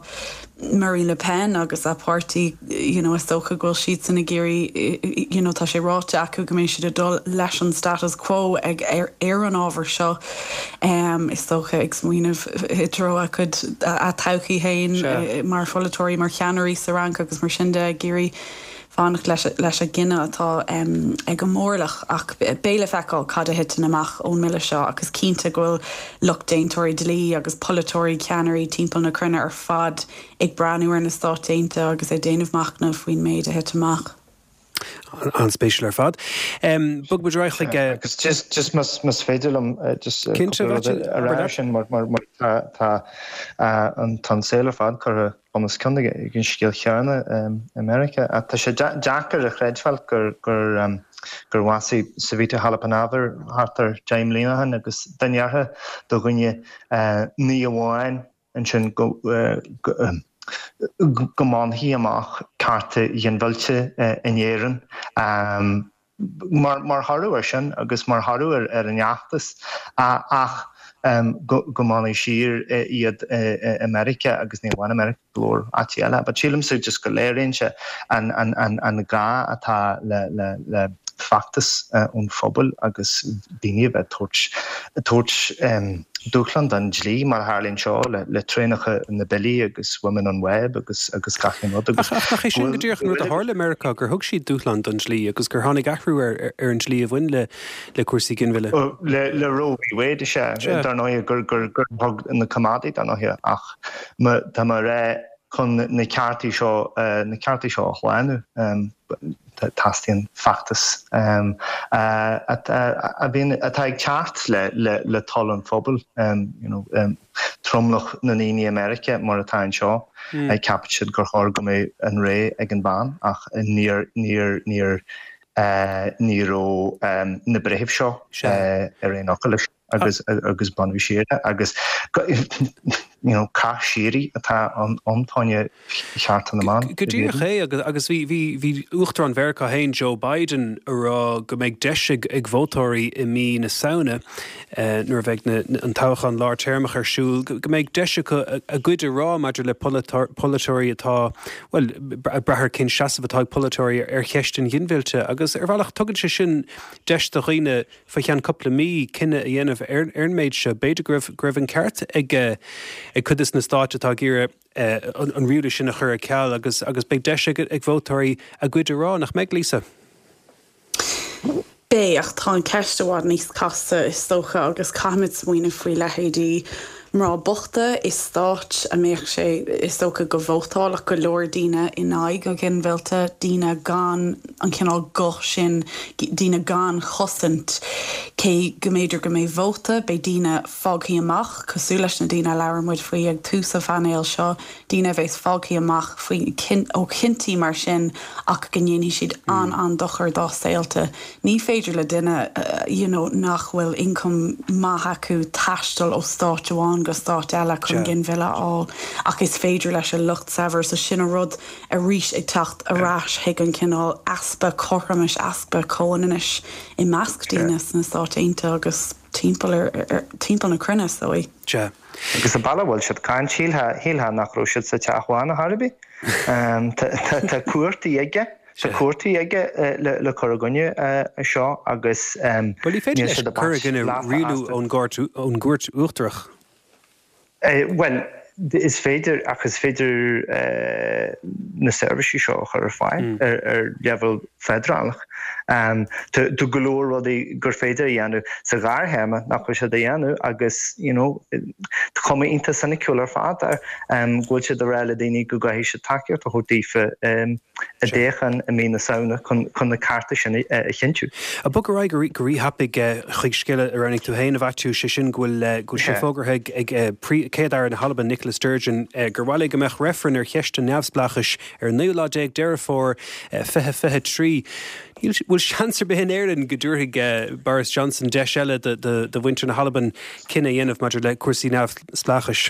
Marine Le Pen agus a páirtí you know, is dócha go bhfuil siadsan ag iarraidh you know, tá sé ráite acu go mbeidh siad ag dul leis an status quo ag ar, ar an ábhar seo um, is dócha ag smaoineamh i dtreo a cuid a todhchaí féin eh, mar pholaiteoirí mar cheannairí sa Fhrainc agus mar sin de ag iarraidh fanacht leis leis an gcinneadh atá um, ag an mórlach ach beidh le feiceáil cad a thiteann amach ón mbille seo agus cinnte go bhfuil lucht déantóirí dlí agus polaiteoirí ceannairí timpeall na cruinne ar fad ag breathnú ar na Stáit Aontaithe agus ag déanamh machnamh faoin méid a thit amach. An-spéisiúil ar fad. Um, Bog muid chuig Agus just just más más féidir liom just a rá sin mar mar mar tá an tá saol ar fad curtha bun os cionn ag an scéal chéanna i Meiriceá. Tá sé deacair a chreidbheáil gur gur gur bhásaigh Savita Halappanavar thart ar deich mbliana ó shin agus dá ndéarfá do dhuine ní amháin ansin go go mbainfí amach cearta ginmhillte in Éirinn mar mar thoradh air sin agus mar thoradh ar ar an fheachtas ach go go mbainfí siar iad i Meiriceá agus ní amháin i Meiriceá go leor áiteanna eile. But sílimse just go léiríonn sé an an an an gá atá le le le feachtas ón phobal agus daoine a bheith tabhairt tabhairt dúshlán don dlí mar a tharlaíonn seo le traenacha na billí agus Women on Web agus agus gach aon rud agus Ach nach é sin go díreach an rud a tharla i Meiriceá gur thug siad dúshlán don dlí agus gur tháinig athrú ar ar an dlí a bhain le le cúrsaí ginmhilleadh. Le le Roe v Wade is ea, dar ndóigh gur gur gur thug na coimeádaigh dar ndóigh ach tá mé ag rá chun na ceartaí seo na ceartaí seo a shlánú teastaíonn feachtas a bhíonn atá ag teacht le le le toil an phobail you know tromlach na ndaoine i Meiriceá mar atá anseo ceapann siad gur chóir go mbeadh an rogha ag an bhean ach níor níor níor ní raibh na breithimh seo ar aon fhocal leis agus agus baineadh siar é agus you know cath síoraí atá ann fá choinne chearta na mban. Go díreach é agus agus bhí bhí bhí Uachtarán Mheiriceá féin Joe Biden ag rá go mbeidh deis ag ag vótóirí i mí na Samhna nuair a bheidh na an toghchán lártéarmach ar siúl go mbeidh deis acu a gcuid a rá maidir le polaiteoirí atá bhuel ag brath ar cén seasamh atá ag polaiteoirí ar cheist an ghinmhillte agus ar bhealach tugann sé sin deis do dhaoine fá cheann cúpla mí cinneadh a dhéanamh ar ar an méid seo. B'fhéidir go raibh go raibh an ceart ag ag cuid de na stáit atá ag iarraidh an rialú sin a chur ar ceal agus agus beidh deis ag ag vótóirí a gcuid a rá nach mbeidh Lisa. Beidh ach tá an ceist i bhfad níos casta is dócha agus caithfimid smaoineamh faoi leithéidí mná bochta i stáit a mbeadh sé is dócha go vótálfadh go leor daoine in aghaidh an ghinmhillte, daoine gan an cineál guth sin, daoine gan chosaint. Cé go mb'fhéidir go mbeidh vóta, beidh daoine fágtha amach, cosúil leis na daoine a labhair muid faoi ag tús an phainéil seo, daoine a bheas fágtha amach faoi ó chinntí mar sin ach go ndéanfaidh siad an-an-dochar dá saolta. Ní féidir le duine you know, nach bhfuil ioncam maith acu taisteal ó stát amháin go stát eile chun ginmhilleadh a fháil ach is féidir leis an lucht saibhir so sin an rud arís ag teacht ar ais chuig an cineál easpa cothromais easpa comhionannais i measc daoine sna Stáit Aontaithe agus timpeall ar, ar, timpeall na cruinne so. Sea. Agus an bealach a bhfuil siad ag caint shílfeá nach raibh siad sa Teach Bán ar chor ar bith. Tá cúrsaí aige. Tá cúrsaí aige le cur i gcoinne seo agus Bhuel ní féidir leis cur i gcoinne rialú ón gCúirt Uachtarach. Bhuel, is féidir ach is féidir na seirbhísí seo a chur ar fáil ar ar leibhéal feidearálach. Tá go leor rudaí gur féidir a dhéanamh sa ghearrthéarma nach bhfuil siad a dhéanamh agus you know tá cuma iontach soiniciúil ar fad air go bhfuil siad ag rá le daoine go gcaithfidh siad tacaíocht a thabhairt daofa i dtoghchán i mí na Samhna chun na cearta sin a chinntiú. Ag bogadh ar aghaidh go rí-thapaidh chuig scéal a roghnaigh tú féin, a Mhaitiú, sé sin go bhfuil go bhfuil sé fógartha ag Céad-Aire na hAlban Nicola Sturgeon gur mhaith léi go mbeadh reifreann ar cheist an neamhspleáchais ar an naoú lá déag Deireadh Fómhair fiche fiche trí. Bhfuil seans ar bith in Éirinn go dtabharfaidh Boris Johnson deis eile do mhuintir na hAlban cinneadh a dhéanamh maidir le cúrsaí neamhspleáchais?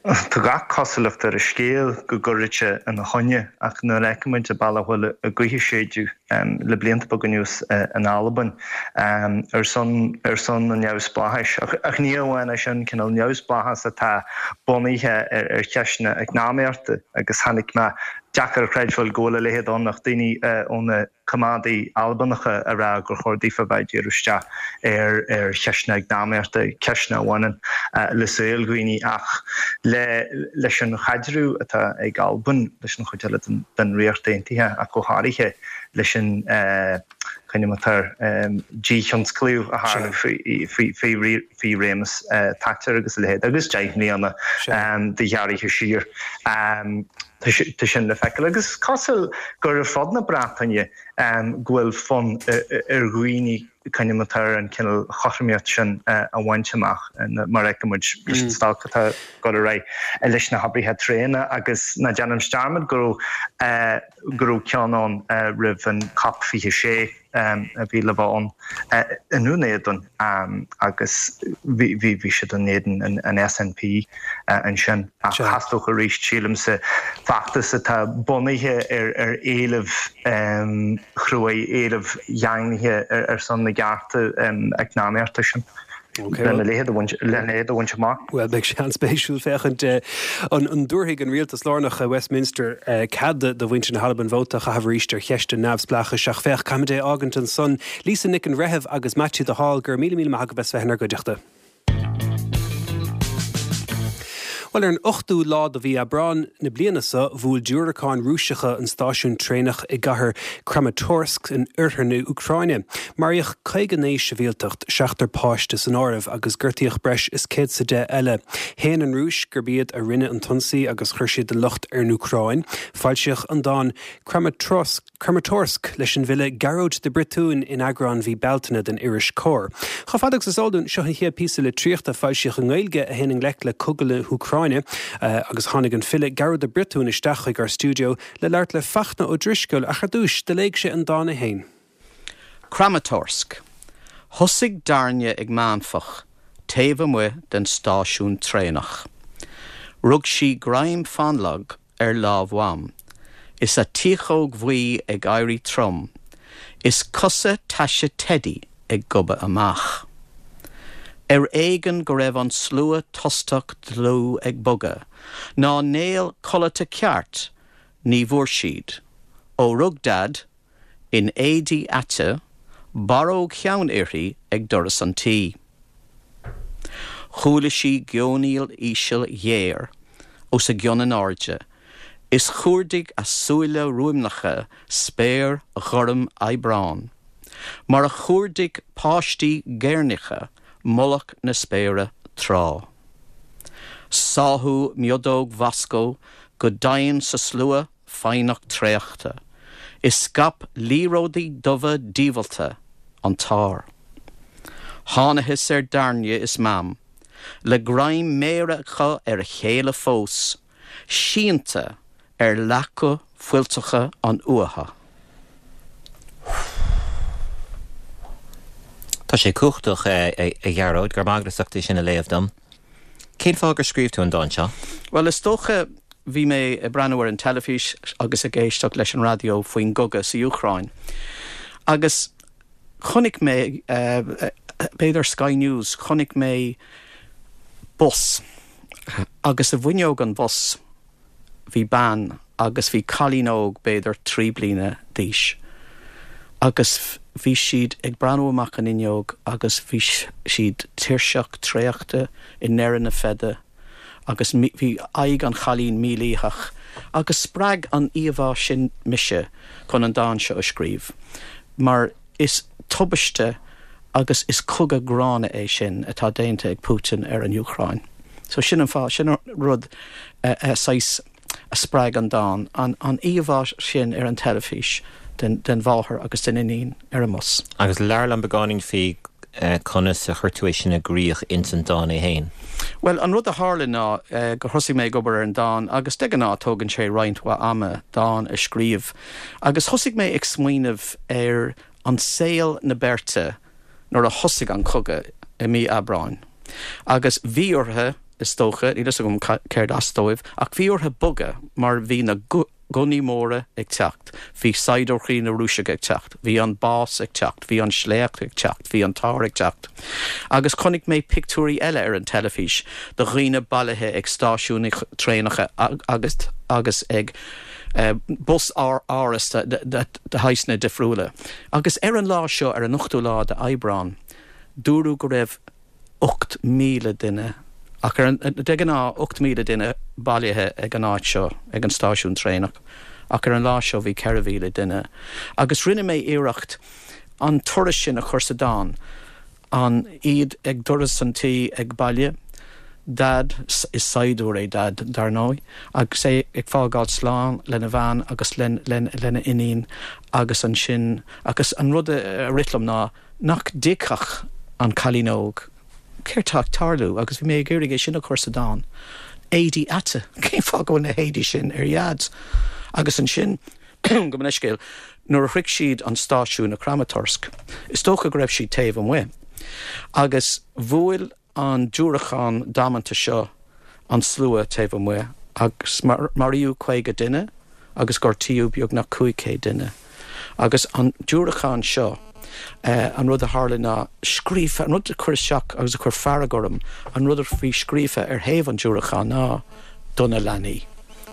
Tá gach cosúlacht ar an scéal go gcuirfidh sé ina choinne ach nuair a fheicimid an bealach a bhfuil an ghaoth ag séideadh le blianta beaga anuas in Albain ar son ar son an neamhspleáchais ach ní amháin é sin, cineál neamhspleáchas atá bunaithe ar cheisteanna eacnamaíochta agus chonaic mé deacair a chreidbheáil go bhfuil a leithéid ann ach daoine ó na Coimeádaigh Albanacha a rá gur chóir daofa bheith ag díriú isteach ar ar cheisteanna eacnamaíochta, ceisteanna a bhaineann le saol dhaoine ach le leis an chaidreamh atá ag Albain leis an chuid eile den den Ríocht Aontaithe ach go háirithe leis an coinneomatar díthionsclaíú a tharla faoi faoi faoi réimeas Thatcher agus a leithéid agus deich mbliana de ghearraithe siar. Tá sin le feiceáil agus is cosúil gur ar fud na Breataine go bhfuil fonn ar dhaoine coinneomatar an cineál chothromaíocht sin a bhaint amach mar a fheicimid leis an stailc atá ag dul ar aghaidh leis na hoibrithe traenach agus ná déanaimis dearmad go raibh go raibh ceann ann roimh an cop fiche sé. a bhí le bheith ann i nDún Éideann agus bhí bhí siad in éadan an SNP ansin ach theastódh arís sílimse feachtas atá bunaithe ar ar éilimh chruaidh, éilimh dhaingnithe ar son na gcearta eacnamaíochta sin. Lena leithéid a bhaint lena leithéid a bhaint amach. Bhuel, beidh sé an-spéisiúil féachaint an an dtabharfaidh an rialtas lárnach i Westminster cead do mhuintir na hAlban vóta a chaitheamh arís ar cheist an neamhspleáchais. Ach féach, caithfimid é a fhágaint ansan. Lisa Nic an Bhreithimh agus Maitiú de Hál, go raibh míle míle maith agaibh as bheith inár gcuideachta. Bhuel ar an ochtú lá de mhí Aibreán na bliana seo bhuail diúracáin Rúiseacha an stáisiún traenach i gcathair Kramatorsk in oirthear na hÚcráine. Maraíodh caoga naoi sibhialtach seachtar páiste san áireamh agus gortaíodh breis is céad is a deich eile. Shéan an Rúis gurb iad a rinne an t-ionsaí agus chuir siad an locht ar an Úcráin. Foilsíodh an dán Kramatorsk Kramatorsk leis an bhfile Gearóid de Briotúin in eagrán mhí Bealtaine den iris Comhar. Chomh fada agus is eol dúinn seo an chéad píosa litríochta foilsithe i nGaeilge a théann i ngleic le cogadh na hÚcráine agus tháinig an file Gearóid de Briotúin isteach chuig ár stiúideo le labhairt le Fachtna Ó Drisceoil ach ar dtús do léigh sé an dán é féin. Kramatorsk. Thosaigh Dairne ag meánfach, taobh amuigh den stáisiún traenach. Rug sí greim fánlag ar lámh Mham. Is a tiachóg bhuí ag éirí trom, is cosa taise Teddy ag gobadh amach. Ar éigean go raibh an slua tostach dlúth ag bogadh, ná néal codlata ceart ní bhfuair siad, ó rug Dad, in éadaí aite, barróg cheann uirthi ag doras an tí. Chuala sí geonaíl íseal ghéar os a gcionn in airde, is chuardaigh a súile ruaimneacha spéir ghorm Aibreáin, mar a chuardaigh páistí géirneacha mullach na spéire tráth. Sáthadh miodóg Mhoscó go domhain sa slua foighneach traochta, is scaip liathróidí dubha diabhalta an t-ár. Thángthas ar Dairne is Mam, le greim méire acu ar a chéile fós, sínte ar leaca fuilteacha an fhuatha. Tá sé cumhachtach a Ghearóid gur magrasachtaí sin a léamh dom. Cén fáth gur scríobh tú an dán seo? Well is dócha bhí mé ag breathnú ar an teilifís agus ag éisteacht leis an raidió faoin gcogadh sa Úcráin. Agus chonaic mé b'fhéidir Sky News, chonaic mé bus agus i bhfuinneog an bhus bhí bean agus bhí cailín óg b'fhéidir trí bliana d'aois. Agus bhí siad ag breathnú amach an fhuinneog agus bhí siad tuirseach traochta i ndeireadh na feide agus bhí aghaidh an chailín mílítheach agus spreag an íomhá sin mise chun an dán seo a scríobh. Mar is tubaiste agus is cogadh gránna é sin atá déanta ag Putin ar an Úcráin. So sin an fáth sin an rud saghas a spreag an dán an, an íomhá sin ar an teilifís den, den mháthair agus den iníon ar an mbus. Agus labhair liom beagáinín faoi conas a chuir tú é sin i gcrích ins an dán é féin. Well an rud a tharla ná gur thosaigh mé ag obair ar an dán agus de ghnáth tógann sé roinnt mhaith ama dán a scríobh. Agus thosaigh mé ag smaoineamh ar an saol na beirte nuair a thosaigh an cogadh i mí Aibreáin. Agus bhí orthu is dócha, níl a fhios agam céard as dóibh, ach bhí orthu bogadh mar bhí na gunnaí móra ag teacht, bhí saighdiúirí na Rúiseach ag teacht, bhí an bás ag teacht, bhí an sléacht ag teacht, bhí an t-ár ag teacht. Agus chonaic mé pictiúirí eile ar an teilifís de dhaoine bailithe ag stáisiúin traenacha agus agus ag uh, bus áras de shaghsanna difriúla. Agus ar an lá seo ar an ochtú lá de Aibreán, dúradh go raibh ocht míle duine ach ar an de ghnáth ocht míle duine bailithe ag an áit seo ag an stáisiún traenach, ach ar an lá seo bhí ceithre mhíle duine. Agus rinne mé iarracht an turas sin a chur sa dán, an iad ag doras an tí ag baile, Dad is saighdiúir é Dad dar ndóigh, agus é ag fágáil slán lena bhean agus lena iníon agus ansin agus an rud a rith liom ná nach dtuigfeadh an cailín óg céard atá ag tarlú agus bhí mé ag iarraidh é sin a chur sa dán. Éadaí ata, cén fáth go bhfuil na héadaí sin ar Dhaid. Agus ansin go leithscéal nuair a shroich siad an stáisiún i Kramatorsk, is dócha go raibh siad taobh amuigh. Agus bhuail an diúracán damanta seo an slua taobh amuigh agus maraíodh caoga duine agus gortaíodh beagnach cúig chéad duine. Agus an diúracán seo, an rud a tharla ná scríofa, an rud a chuir isteach agus a chuir fearg orm, an rud a bhí scríofa ar thaobh an diúracáin ná do na leanaí.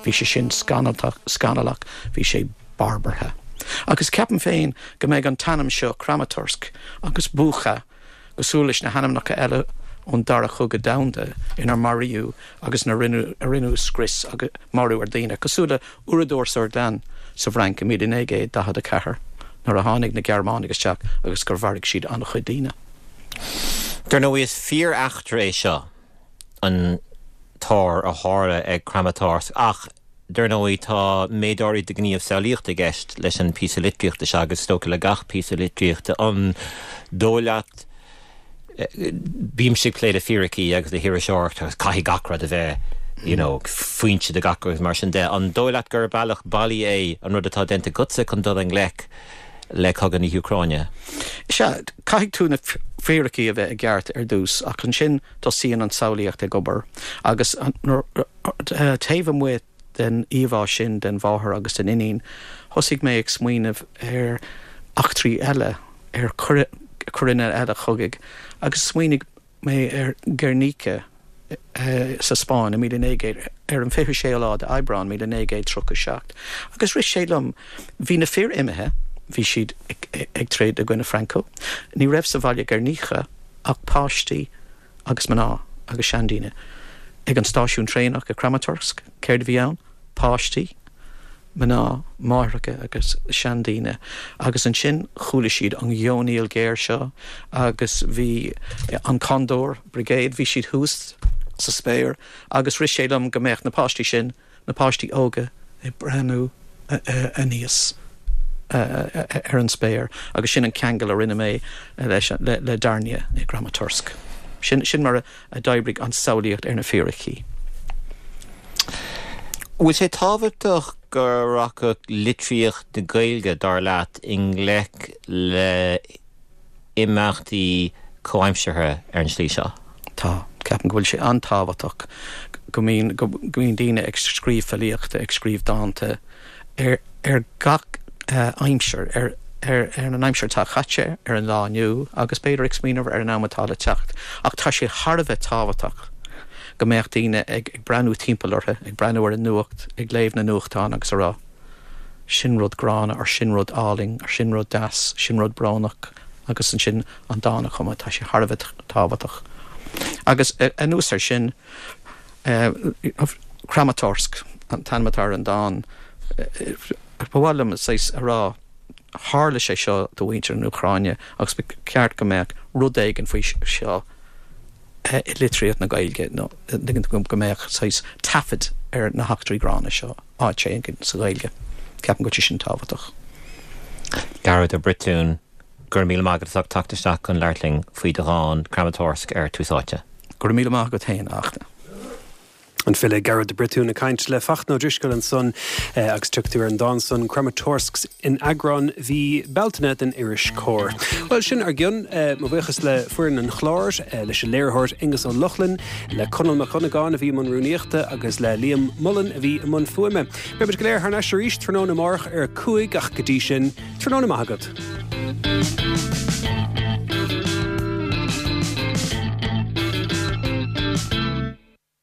Bhí sé sin scannalach, scannalach, bhí sé barbartha. Agus ceapaim féin go mbeidh an t-ainm seo Kramatorsk agus Bucha cosúil leis na hainmneacha eile ón Dara Cogadh Domhanda inar maraíodh agus ina rinneadh scrios agus marú ar daoine, cosúil le Oradour-sur-Glane sa bhFrainc i míle naoi gcéad daichead a ceathair nuair a tháinig na Gearmánaigh isteach agus gur mharaigh siad an-chuid daoine. Dar ndóigh is fíor-eachtra é seo, an t-ár a tharla ag Kramatorsk, ach dar ndóigh tá méid áirid de ghníomh samhlaíochta i gceist leis an píosa litríochta seo agus is dócha le gach píosa litríochta. An dóigh leat, bímse ag plé le fíricí agus le hiriseoireacht agus caithfidh gach rud a bheith you know, foinse de gach agus mar sin de. An dóigh leat gur bealach bailí é an rud atá déanta agatsa chun dul i ngleic le cogadh na hÚcráine? Sea, caithfidh tú na fíricí a bheith i gceart ar dtús ach ansin tosaíonn an tsamhlaíocht ag obair agus taobh amuigh den íomhá sin den mháthair agus den iníon, thosaigh mé ag smaoineamh ar eachtraí eile, ar choireanna eile chogaidh agus smaoinigh mé ar Guernica sa Spáinn i míle naoi gcéad, ar an fiche sé lá d'Aibreán míle naoi gcéad tríocha seacht. Agus rith sé liom, bhí na fir imithe, bhí siad ag troid i gcoinne Franco, ní raibh sa bhaile Guernica ach páistí agus mná agus seandaoine. Ag an stáisiún traenach i Kramatorsk, céard a bhí ann? Páistí, mná, máithreacha agus seandaoine. Agus ansin chuala siad an gheonaíl ghéar seo agus bhí an Condor Brigade, bhí siad thuas sa spéir agus rith sé liom go mbeadh na páistí sin, na páistí óga, ag breathnú aníos ar an spéir agus sin an ceangal a rinne mé leis, le Darnia i gKramatorsk. Sin, sin mar a d'oibrigh an tsamhlaíocht ar na fíricí. Bhfuil sé tábhachtach go rachadh litríocht na Gaeilge, dar leat, i ngleic le imeachtaí comhaimseartha ar an tslí seo? Tá. Ceapaim go bhfuil sé an-tábhachtach go mbíonn, go mbíonn daoine ag scríobh filíochta, ag scríobh dánta ar, ar gach aimsir, ar, ar, ar an aimsir atá caite, ar an lá inniu agus b'fhéidir ag smaoineamh ar an am atá le teacht. Ach tá sé thar a bheith tábhachtach go mbeadh daoine ag breathnú timpeall orthu, ag breathnú ar an nuacht, ag léamh na nuachtán agus a rá, sin rud gránna, or sin rud álainn, or sin rud deas, sin rud brónach agus ansin an dán a chumadh. Tá sé thar a bheith tábhachtach. Agus anuas air sin, Kramatorsk an t-ainm atá ar an dán, ba mhaith liom saghas a rá, tharla sé seo do mhuintir na hÚcráine agus ba cheart go mbeadh rud éigin faoi seo i litríocht na Gaeilge nó go mbeadh saghas taifead ar na heachtraí gránna seo áit éigin sa Ghaeilge. Ceapaim go bhfuil sé sin tábhachtach. Gearóid Ó Briotúin, go raibh míle maith agat as ucht teacht isteach chun labhairt linn faoi do dhán Kramatorsk ar Tús Áite. Go raibh míle maith agat féin, a Fhachtna. An file Gearóid de Briotún ag caint le Fachtna Ó Drisceoil ansan agus tiocfaidh tú ar an dán san Kramatorsk in eagrán mhí Bealtaine den iris Comhar. Bhuel, sin ár gcionn. Mo bhuíochas le foireann an chláir, leis an léiritheoir Aonghus Ó Lochlainn, le Conall Mac Dhonnagáin a bhí i mbun rúnaíochta agus le Liam Mullen a bhí i mbun fuaime. Beidh muid go léir thar n-ais arís tráthnóna amárach ar a cúig ach go dtí sin, tráthnóna maith agat.